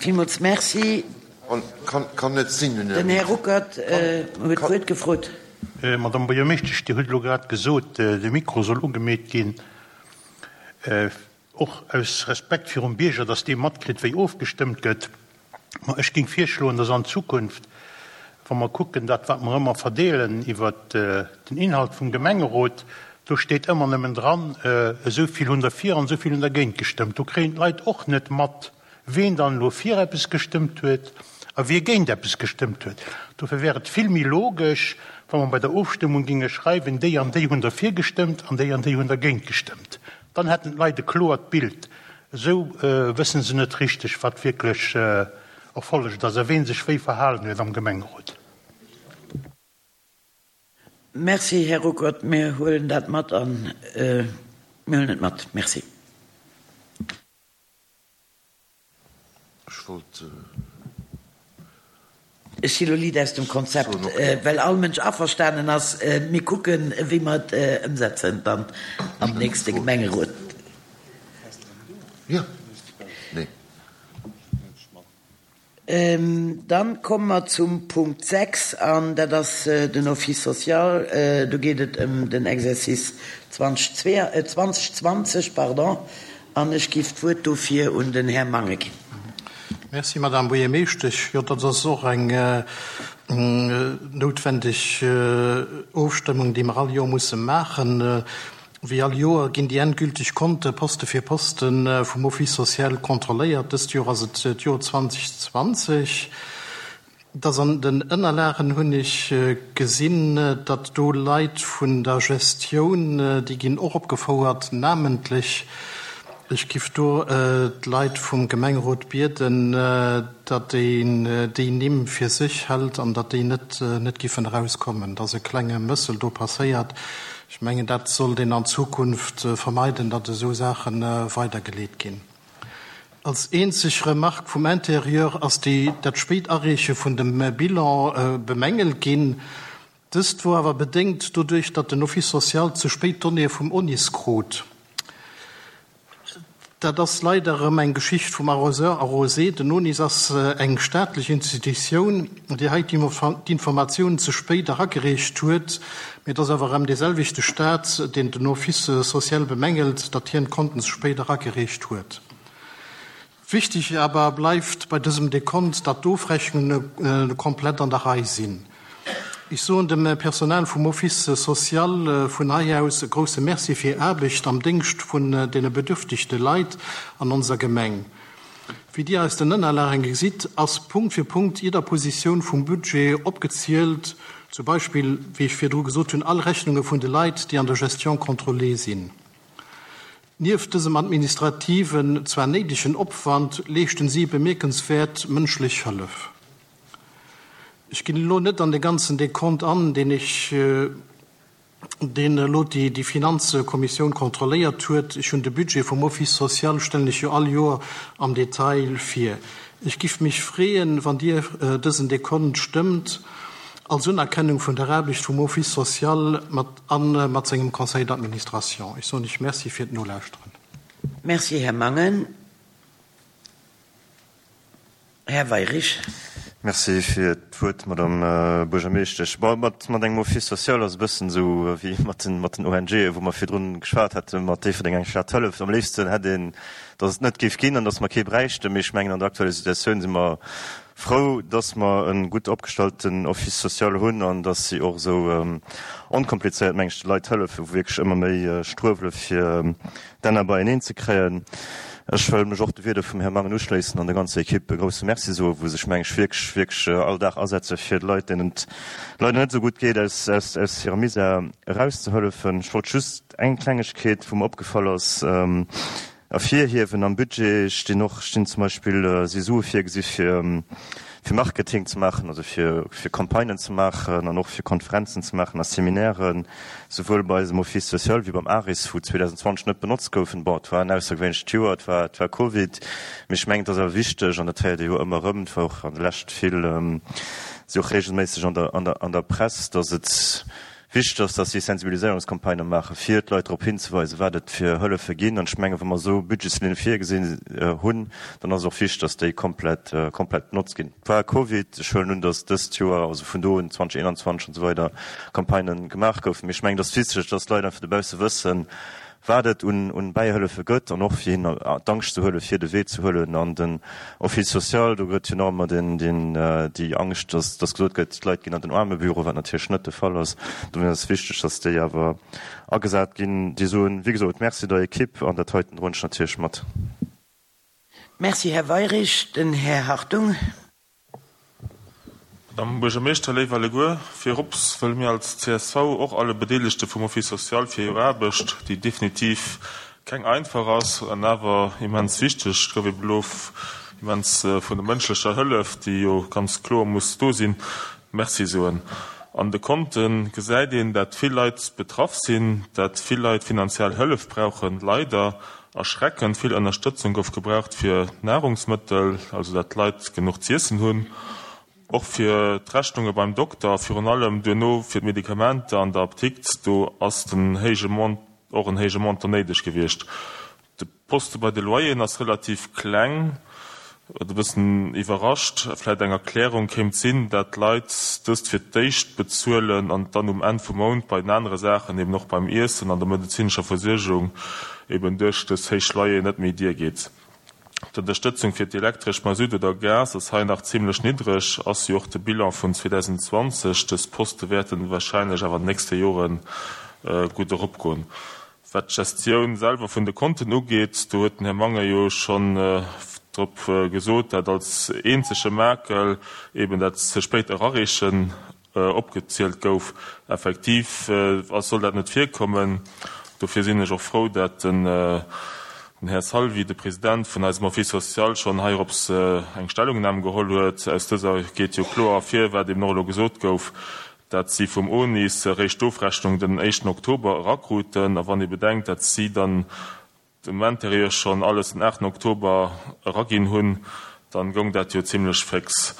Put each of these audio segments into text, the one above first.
Villmools Merci. Kann net sinn. Den Här Ruckert huet d'Wuert gefrot. Madame Buergermeeschtesch, Dir hutt elo grad gesot, de Mikro soll ugemeet ginn. Och aus Respekt virum Bierger, dass dee matkritt, wéi ofgestëmmt gëtt. Ma ech géing virschloen, dass an Zukunft, wa mer kucken, dat wat mer ëmmer verdeelen iwwert den Inhalt vum Gemengerot, do steet ëmmer nëmmen dran, esou vill hunn derfir an esou vill hunn dergéint gestëmmt. Do kréien d'Leit och net mat, ween dann elo fir eppes gestëmmt huet a wie géint eppes gestëmmt huet. Dofir wär et vill méi logesch, wa mer bei der Ofstëmmung géinge schreiwen, déi an déi hunn derfir gestëmmt an déi an déi hunn dergéint gestëmmt. Dann hätten d'Leit e kloert Bild. Esou wësse se net richteg, wat wierklech erfollegt ass a ween sech wéi verhalen huet am Gemengerot. Merci, Här Ruckert. Mir huelen dat mat a mir huelen et mat. Merci. Ech wollt. Ech si lo liit aus dem Konzept, well all Mënsch averstanen ass. Mir kucken, wéi mer et ëmsetzen dann am nächste Gemengerot. Dann komme mer zum Punkt 6, an dat ass den Office social. Do geet et ëm den Exercice 2020, pardon, an ech giff d'Wuert dofir un den Här Mangen ginn. Merci, Madame Buergermeeschtesch. Jo, dat ass och eng noutwendeg Ofstëmmung, déi mer all Joer musse maachen. Wéi all Joer ginn déi endgülteg Konte Poste fir Poste vum Office social kontrolléiert. Dëst Joer ass et d'Joer 2020. Dass an den Ënnerlagen hunn ech gesinn, datt do Leit vun der Gestioun, déi ginn och opgefouert, namentlech. Ech giff do d'Leit vum Gemengerot bieden, datt een déi Nimm fir sech hält an datt déi net net giffen erauskommen. Et ass e klenge Mëssel do passéiert. Ech mengen, dat sollt een an Zukunft vermeiden, datt esou Saache weidergeleet ginn. Als eenzeg Remarque vum Intérieur ass déi dat spéit Areeche vun dem Bilan bemängelt ginn. Dëst wor awer bedéngt doduerch, datt den Office social ze spéit d'Donnéeë vum ONIS krut. Dat ass leider erëm eng Geschicht vum Arroseur arrosé. Den ONIS ass eng staatlech Institutioun, déi hei d'Informatiounen ze spéit eragereecht huet. Mee et ass awer erëm dee selwechte Staat, deen den Office social bemängelt, datt hien d'Konten ze spéit eragereecht huet. Wichteg awer bleift bei dësem Dekont, datt d'Ofrechnunge komplett an der Rei sinn. Ech soen dem Personal vum Office social vun hei aus e grousse Merci fir hir Aarbecht am Déngscht vun deene bedürftegte Leit an onser Gemeng. Wéi Dir aus den Ënnerlagen gesitt, ass Punkt fir Punkt jidder Positioun vum Budget opgezielt, zum Beispill, wéi ech virdru gesot hunn, all Rechnunge vun de Leit, déi an der Gestion contrôlée sinn. Nieft dësem administrativen, zwar néidegen Opwand, leeschten si bemierkenswäert mënschlech Hëllef. Ech ginn elo net an de ganzen Dekont an, deen ech, deen elo déi Finanzkommissioun kontrolléiert huet. Ech hunn de Budget vum Office social, stellen ech jo all Joer am Detail vir. Ech giff mech freeën, wann Dir dësen Dekont stëmmt, als Unerkennung vun der Aarbecht vum Office social mat A mat sengem Conseil d'administration. Ech soen lech Merci fir d'Nolauschteren. Merci, Här Mangen. Här Weirich. Merci fir d'Wuert, Madame Buergermeeschtesch. Bon, mat engem Office social ass e bëssen esou wéi mat den ONGen, wou mer virdrun geschwat haten, mat Déifferdeng eng Stad hëlleft. Am léifsten hätt een, datt et net géif ginn an datt mer kee bräichten. Mee ech mengen, an der aktueller Situatioun si mer frou, dass mer e gutt opgestallten Office social hunn an dass si och esou onkomplizéiert, meng ech, de Leit hëllefen, wou wierklech ëmmer méi struewele fir d'Enner beieneen ze kréien. Ech wëll mech och de Wierder vum Här Mangen uschléissen an der ganzer Equipe e grouse Merci soen, wou sech, meng ech, wierklech, wierklech all Dag asetze fir d'Leit, deenen et leider net esou gutt geet, aus, aus, aus hirem Misär erauszehëllefen. Ech wollt just eng Klengegkeet, wou mer opgefall ass, Ervirhiewen. Am Budget stinn och, stinn zum Beispill, si Sue virgesi fir fir Marketing ze maachen, also fir fir Campagnen ze maachen an och fir Konferenzen ze maachen a Seminairen, souwuel bei eisem Office social wéi beim ARIS, wou 2020 net benotzt goufen. Bon, et war en aussergewéinlecht Joer, et war et war Covid, mee ech mengen, et ass awer wichteg, an dat héiert ee jo ëmmer erëm, et war och an der Lescht vill, si och regelméisseg an der an der an der Press, datt et. Wichteg ass, dass si Sensibiliséierungscampagnë maachen, fir d'Leit drop hinzeweisen, wat et fir Hëllefe ginn. An ech mengen, wa mer esou Budgetslinne virgesinn hunn, dann ass et och wichteg, dass déi komplett, komplett benotzt ginn. Et war Covid, ech huelen un, dass dëst Joer, also vun do un, 2021 an esou weider, Campagnë gemaach goufen. Mee ech mengen, et ass wichteg, dass d'Leit einfach dobausse wëssen, wat et un Bäihëllefe gëtt an och fir hinnen d'Angscht ze huelen, fir de Wee ze huelen an den Office social. Do gëtt jo nach ëmmer déi Angscht, dass gesot gëtt, d'Leit ginn an den Aarmebüro, wat natierlech net de Fall ass. Dofir ass et wichteg, dass déi awer agesat ginn. Déi soen, wéi gesot, Merci der Ekipp an dat heiten droen ech natierlech mat. Merci, Här Weirich. Den Här Hartung. Madame Buergermeeschter, léif alleguer, virops wëlle mir als csv och alle Bedeelegte vum Office social fir hir Aarbecht, déi definitiv keng einfach ass an awer immens wichteg, et gouf eben elo immens vun der mënschlecher Hëllef, déi jo ganz kloer muss do sinn, Merci soen. An de Konte gesäit een, dat vill Leit betraff sinn, dat vill Leit finanziell Hëllef brauchen, leider. Erschreckend vill Ënnerstëtzung gouf gebraucht fir d'Nahrungsmëttel, also dat d'Leit genuch z'iessen hunn, och fir d'Rechnunge beim Dokter a virun allem duerno fir d'Medikamenter an der Apdikt, do ass den héije Mont och en héije Montant néideg gewiescht. De Poste bei de Loyeren ass relativ kleng, wat e bëssen iwwerrascht. Vläit eng Erklärung kéint sinn, dat d'Leit dëst fir d'éischt bezuelen an dann um Enn vum Mount bei den anere Saachen, eben och beim Iessen an der medezinescher Versuergung, eben duerch dës héich Loyeren net méi diergeet. D'Ënnerstëtzung fir d'Elektresch, Masutt oder Gas ass hei nach zimlech niddreg, ass jo och de Bilan vun 2020. Dës Poste wäerten warscheinlech awer an den nächste Jore gutt eropgoen. Wat d'Gestioun selwer vun de Konten ugeet, do huet den Här Mangen jo schonn drop gesot, dat als eenzege Makel eben dat ze spéit Erareechen opgezielt gouf. Effektiv ass, soll dat net virkommen. Dofir sinn ech och frou, dat den Här Salvi, de President vun eisem Office social, schonn heirops eng Stellungnam geholl huet. Aus dëser geet jo kloer ervir, wat eben och elo gesot gouf, dat si vum ONIS eréischt d'Ofrechnung den éischten Oktober erakruten, a wann ee bedenkt, dat si dann dem Interieur schonn alles den aachten Oktober eraginn hunn, dann goung dat jo zimlech féx.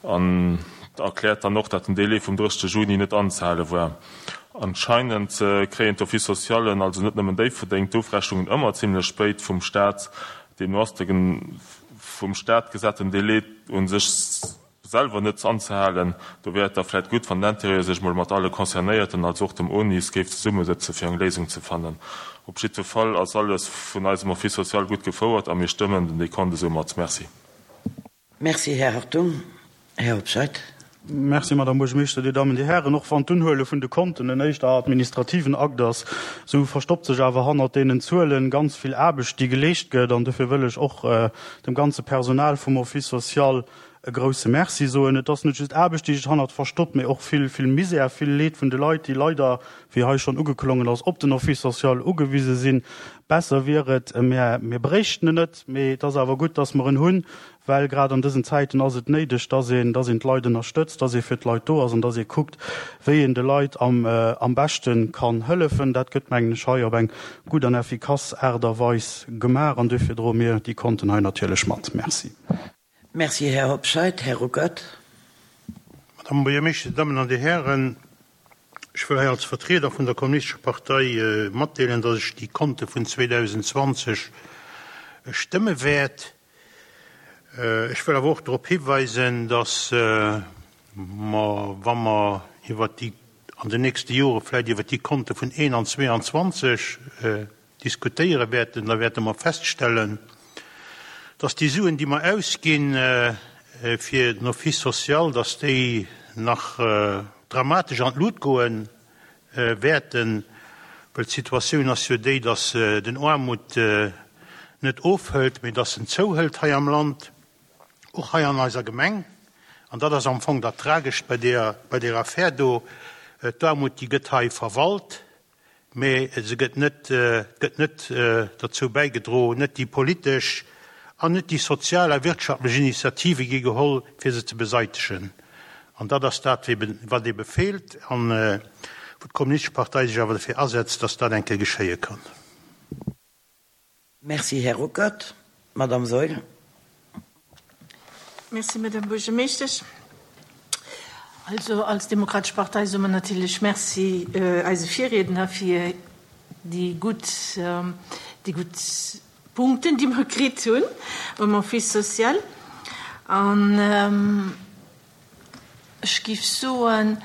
An erkläert dann och, dat den Délai vum 30 Juni net anzehale war. Anscheinend kréien d'Office socialen, also net nëmmen Déifferdeng, d'Ofrechnungen ëmmer zimlech spéit vum Staat. Deemno ass de vum Staat gesaten Délai u sech selwer net anzehalen. Do wär et da vläit gutt, wann den Interieur sech mol mat alle Concernéierten, also och dem ONIS, géif zesummesëtze fir eng Léisung ze fannen. Op jiddwer Fall ass alles vun eisem Office social gutt gefouert a mir stëmmen den Dekont esou mat. Merci. Merci, Här Hartung. Här Hobscheit. Merci, Madame Buergermeeschter, Dir Dammen, Dir Hären. Och wann d'Unhuele vun de Konten en éischter administrativen Akt ass, esou verstoppt sech awer hannert deenen Zuelen ganz vill Aarbecht, déi geleescht gëtt. An dofir wëll ech och dem ganze Personal vum Office social e grouse Merci soen. Et ass net just Aarbecht, déi sech hannert verstoppt, mee och vill, vill Misär, vill Leed vun de Leit, déi leider, wéi hei schonn ugeklongen ass, op den Office social ugewise sinn. Besser wier et, mir, mir bréichten en net, mee et ass awer gutt, dass mer en hunn, well grad an dësen Zäiten ass et néideg, dass een, dass een d'Leit ënnerstëtzt, dass ee fir d'Leit do ass an dass ee kuckt, wéi een de Leit am, am beschte kann hëllefen. Dat gëtt, mengen ech, hei op eng gutt an effikass Aart a Weis gemaach an duerfir droe mir déi Konten hei natierlech mat. Merci. Merci, Här Hobscheit. Här Ruckert. Madame Buergermeeschter, Dir Dammen an Dir Hären, ech wëll hei als Vertrieder vun der Kommunistescher Partei matdeelen, datt ech déi Konte vun 2020 stëmme wäert. Ech wëll awer och drop hiweisen, datt mer, wa mer iwwert déi an den nächste Jore vläicht iwwert déi Konte vun 21 22 diskutéiere wäerten, da wäerte mer feststellen, dass déi Suen, déi mer ausginn fir den Office social, dass déi nach dramatesch an d'Lut goe wäerten, well d'Situatioun ass jo déi, dass den Aarmut net ofhëlt, mee dass en zouhëlt hei am Land, och hei an eiser Gemeng. An dat ass am Fong dat Tragescht bei deer, bei deer Affär do. D'Aarmut, déi gëtt hei verwalt. Mee se gëtt net, gëtt net derzou bäigedro, net déi politesch an net déi sozial a wirtschaftlech Initiative gi geholl, fir se ze beseitegen. An dat ass dat, wat ebe feelt an wou d'Kommunistesch Partei sech awer derfir asetzt, dass dat eng Kéier geschéie kann. Merci, Här Ruckert. Madamm Saeul. Merci, Madamm Buergermeeschtesch. Also als Demokratesch Partei soe mer natierlech Merci eise Virriedner fir déi gutt, déi gutt Punkten, déi mer kritt hunn um Office social. An ech géif soen,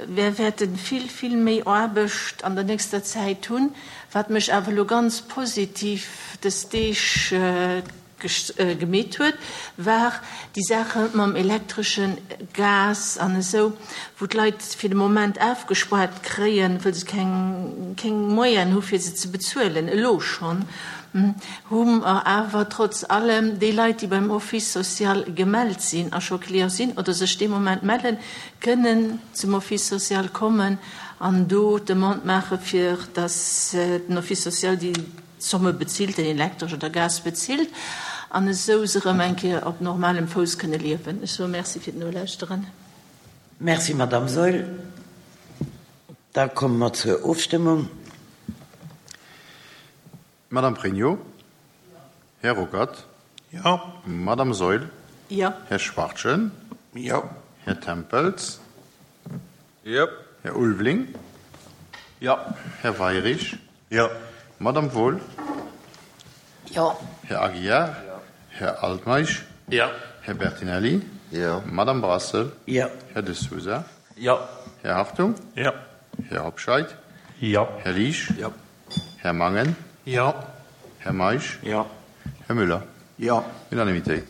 mir wäerte vill, vill méi Aarbecht an der nächster Zäit hunn. Wat mech awer elo ganz positiv dës Deeg gemeet huet, war déi Saache mam elektreschen Gas an esou, wou d'Leit fir de Moment afgespuart kréien, wëll se keng, keng Moyenen hu fir se ze bezuelen. Elo schonn hu mer awer trotz allem déi Leit, déi beim Office social gemellt sinn a scho Client sinn oder sech dee Moment mellen, kënnen zum Office social kommen an do d'Demande maache fir datt den Office social déi Zomme bezilt, den Elektresch oder Gas bezilt, an esou se erëm eng Kéier op normalem Fouss kënne liewen. Ech soe Merci fir d'Nolauschteren. Merci, Madamm Saeul. Da komme mer zur Ofstëmmung. Madamm Pregno. Här Ruckert. Jo. Madamm Saeul. Jo. Här Schwachtgen. Jo. Här Tempels. Jo. Här Ulveling. Jo. Här Weirich. Jo. Madamm Wohl. Jo. Här Aguiar. Jo. Här Altmeisch. Jo. Här Bertinelli. Jo. Madamm Brassel. Jo. Här De Sousa. Jo. Här Hartung. Jo. Här Hobscheit. Jo. Här Liesch. Jo. Här Mangen. Jo. Här Meisch. Jo. Här Müller. Jo. Unanimitéit.